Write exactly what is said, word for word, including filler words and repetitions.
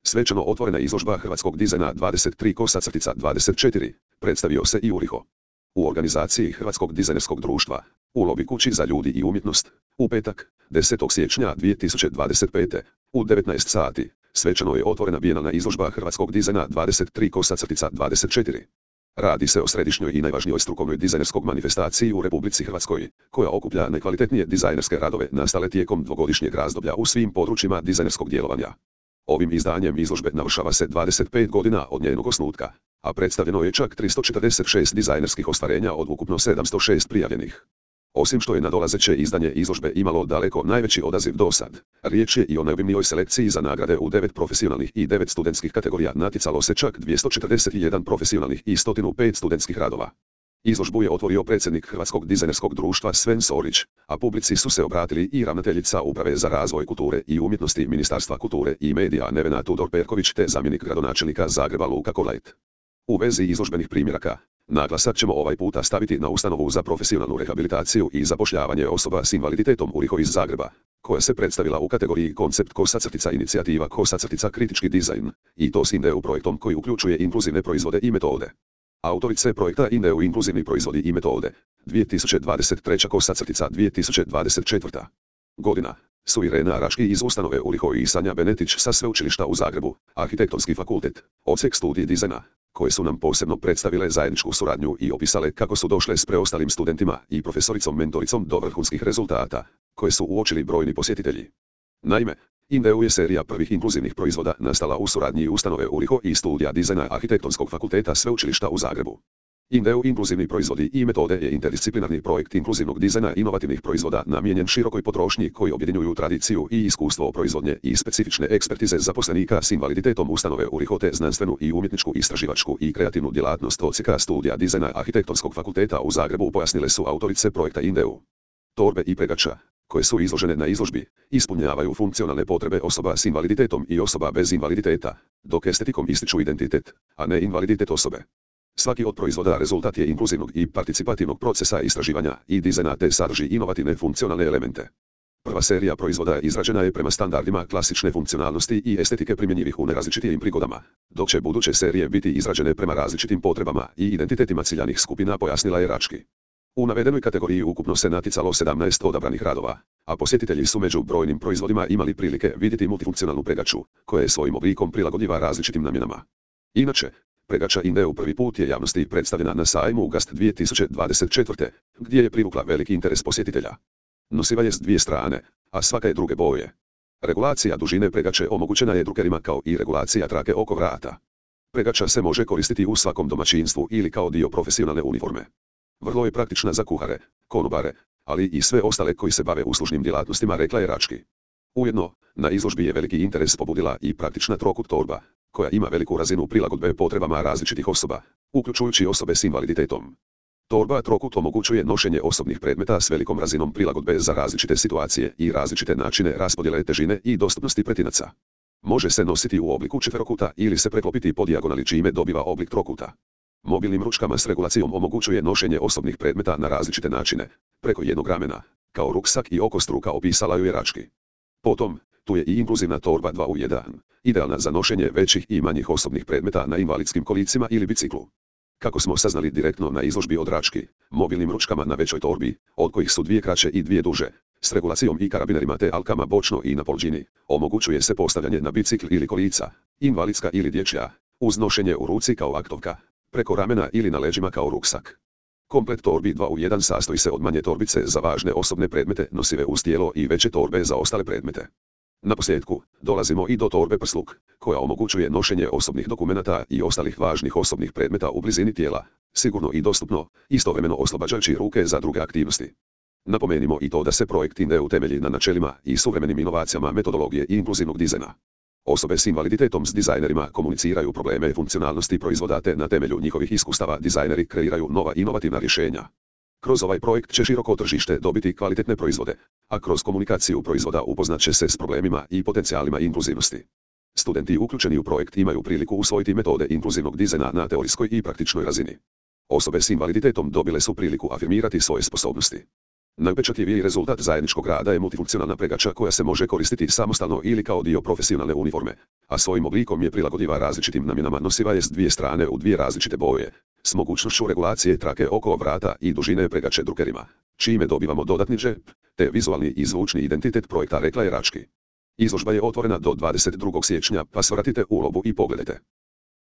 Svečano otvorena izložba hrvatskog dizajna dvadeset tri dvadeset četiri, predstavio se i Uriho. U organizaciji Hrvatskog dizajnerskog društva, u Lobby kući za ljudi i umjetnost, u petak, desetog siječnja dvije tisuće dvadeset pete. u devetnaest sati, svečano je otvorena bijenalna izložba hrvatskog dizajna dvadeset tri dvadeset četiri. Radi se o središnjoj i najvažnijoj strukovnoj dizajnerskog manifestaciji u Republici Hrvatskoj, koja okuplja najkvalitetnije dizajnerske radove nastale tijekom dvogodišnjeg razdoblja u svim područjima dizajnerskog djelovanja. Ovim izdanjem izložbe navršava se dvadeset pet godina od njenog osnutka, a predstavljeno je čak tristo četrdeset šest dizajnerskih ostvarenja od ukupno sedamsto šest prijavljenih. Osim što je nadolazeće izdanje izložbe imalo daleko najveći odaziv dosad, riječ je i o najobimnijoj selekciji za nagrade u devet profesionalnih i devet studentskih kategorija, natjecalo se čak dvjesto četrdeset jedan profesionalnih i sto pet studentskih radova. Izložbu je otvorio predsjednik Hrvatskog dizajnerskog društva Sven Sorić, a publici su se obratili i ravnateljica Uprave za razvoj kulture i umjetnosti Ministarstva kulture i medija Nevena Tudor-Perković te zamjenik gradonačelnika Zagreba Luka Kolajt. U vezi izložbenih primjeraka, naglasak ćemo ovaj puta staviti na ustanovu za profesionalnu rehabilitaciju i zapošljavanje osoba s invaliditetom Uriho iz Zagreba, koja se predstavila u kategoriji koncept kosa inicijativa kosa kritički dizajn, i to s INDEU projektom koji uključuje inkluzivne proizvode i metode. Autorice projekta INDEU inkluzivni proizvodi i metode, dvije tisuće dvadeset treća kosa dvije tisuće dvadeset četvrta. godina, su Irena Raški iz ustanove Uriho i Sanja Benetić sa Sveučilišta u Zagrebu, Arhitektonski fakultet, odsjek studij dizajna, koje su nam posebno predstavile zajedničku suradnju i opisale kako su došle s preostalim studentima i profesoricom mentoricom do vrhunskih rezultata, koje su uočili brojni posjetitelji. Naime, INDEU je serija prvih inkluzivnih proizvoda nastala u suradnji ustanove Uriho i studija dizajna Arhitektonskog fakulteta Sveučilišta u Zagrebu. INDEU inkluzivni proizvodi i metode je interdisciplinarni projekt inkluzivnog dizajna inovativnih proizvoda namijenjen širokoj potrošnji koji objedinjuju tradiciju i iskustvo proizvodnje i specifične ekspertize zaposlenika s invaliditetom ustanove Uriho te znanstvenu i umjetničku istraživačku i kreativnu djelatnost odsjeka studija dizajna Arhitektonskog fakulteta u Zagrebu, pojasnile su autorice projekta INDEU. Torbe i pregača, koje su izložene na izložbi, ispunjavaju funkcionalne potrebe osoba s invaliditetom i osoba bez invaliditeta, dok estetikom ističu identitet, a ne invaliditet osobe. Svaki od proizvoda rezultat je inkluzivnog i participativnog procesa istraživanja i dizajna te sadrži inovativne funkcionalne elemente. Prva serija proizvoda izrađena je prema standardima klasične funkcionalnosti i estetike primjenjivih u nerazličitim prigodama, dok će buduće serije biti izrađene prema različitim potrebama i identitetima ciljanih skupina, pojasnila je Rački. U navedenoj kategoriji ukupno se natjecalo sedamnaest odabranih radova, a posjetitelji su među brojnim proizvodima imali prilike vidjeti multifunkcionalnu pregaču, koja je svojim oblikom prilagodljiva različitim namjenama. Inače, pregača INDEU prvi put je javnosti predstavljena na sajmu u Gast dvije tisuće dvadeset četvrte. gdje je privukla veliki interes posjetitelja. Nosiva je s dvije strane, a svaka je druge boje. Regulacija dužine pregače omogućena je drukerima kao i regulacija trake oko vrata. Pregača se može koristiti u svakom domaćinstvu ili kao dio profesionalne uniforme. Vrlo je praktična za kuhare, konobare, ali i sve ostale koji se bave uslužnim djelatnostima, rekla je Rački. Ujedno, na izložbi je veliki interes pobudila i praktična trokut torba, koja ima veliku razinu prilagodbe potrebama različitih osoba, uključujući osobe s invaliditetom. Torba trokut omogućuje nošenje osobnih predmeta s velikom razinom prilagodbe za različite situacije i različite načine raspodjele težine i dostupnosti pretinaca. Može se nositi u obliku četverokuta ili se preklopiti po dijagonali, čime dobiva oblik trokuta. Mobilnim ručkama s regulacijom omogućuje nošenje osobnih predmeta na različite načine, preko jednog ramena, kao ruksak i okostruka, opisala ju je Rački. Potom, tu je i inkluzivna torba dva u jedan, idealna za nošenje većih i manjih osobnih predmeta na invalidskim kolicima ili biciklu. Kako smo saznali direktno na izložbi od Rački, mobilnim ručkama na većoj torbi, od kojih su dvije kraće i dvije duže, s regulacijom i karabinerima te alkama bočno i na polđini, omogućuje se postavljanje na bicikl ili kolica, invalidska ili dječja, uz nošenje u ruci kao aktovka, preko ramena ili na leđima kao ruksak. Komplet torbi dva u jedan sastoji se od manje torbice za važne osobne predmete nosive uz tijelo i veće torbe za ostale predmete. Naposljetku, dolazimo i do torbe prsluk, koja omogućuje nošenje osobnih dokumenata i ostalih važnih osobnih predmeta u blizini tijela, sigurno i dostupno, istovremeno oslobađajući ruke za druge aktivnosti. Napomenimo i to da se projekt INDEU temelji na načelima i suvremenim inovacijama metodologije i inkluzivnog dizajna. Osobe s invaliditetom s dizajnerima komuniciraju probleme funkcionalnosti proizvoda te na temelju njihovih iskustava dizajneri kreiraju nova inovativna rješenja. Kroz ovaj projekt će široko tržište dobiti kvalitetne proizvode, a kroz komunikaciju proizvoda upoznat će se s problemima i potencijalima inkluzivnosti. Studenti uključeni u projekt imaju priliku usvojiti metode inkluzivnog dizajna na teorijskoj i praktičnoj razini. Osobe s invaliditetom dobile su priliku afirmirati svoje sposobnosti. Najpečatljiviji rezultat zajedničkog rada je multifunkcionalna pregača koja se može koristiti samostalno ili kao dio profesionalne uniforme, a svojim oblikom je prilagodljiva različitim namjenama. Nosiva je s dvije strane u dvije različite boje, s mogućnošću regulacije trake oko vrata i dužine pregače drukerima, čime dobivamo dodatni džep, te vizualni i zvučni identitet projekta, rekla je Rački. Izložba je otvorena do dvadeset drugog siječnja, pa svratite ulogu i pogledajte.